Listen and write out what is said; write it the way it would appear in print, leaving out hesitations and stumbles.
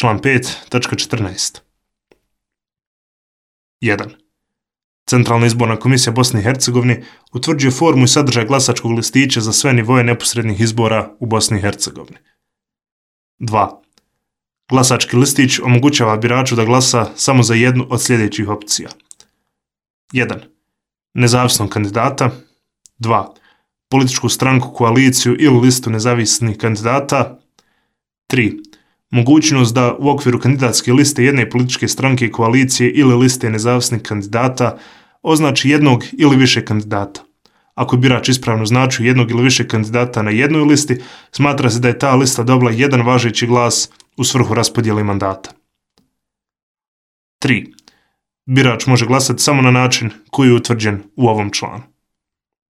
Član 5.14. 1. Centralna izborna komisija Bosne i Hercegovine utvrđuje formu i sadržaj glasačkog listića za sve nivoje neposrednih izbora u Bosni i Hercegovini. 2. Glasački listić omogućava biraču da glasa samo za jednu od sljedećih opcija. 1. Nezavisnog kandidata. 2. Političku stranku, koaliciju ili listu nezavisnih kandidata. 3. Mogućnost da u okviru kandidatske liste jedne političke stranke, koalicije ili liste nezavisnih kandidata označi jednog ili više kandidata. Ako birač ispravno označio jednog ili više kandidata na jednoj listi, smatra se da je ta lista dobila jedan važeći glas u svrhu raspodjele mandata. 3. Birač može glasati samo na način koji je utvrđen u ovom članu.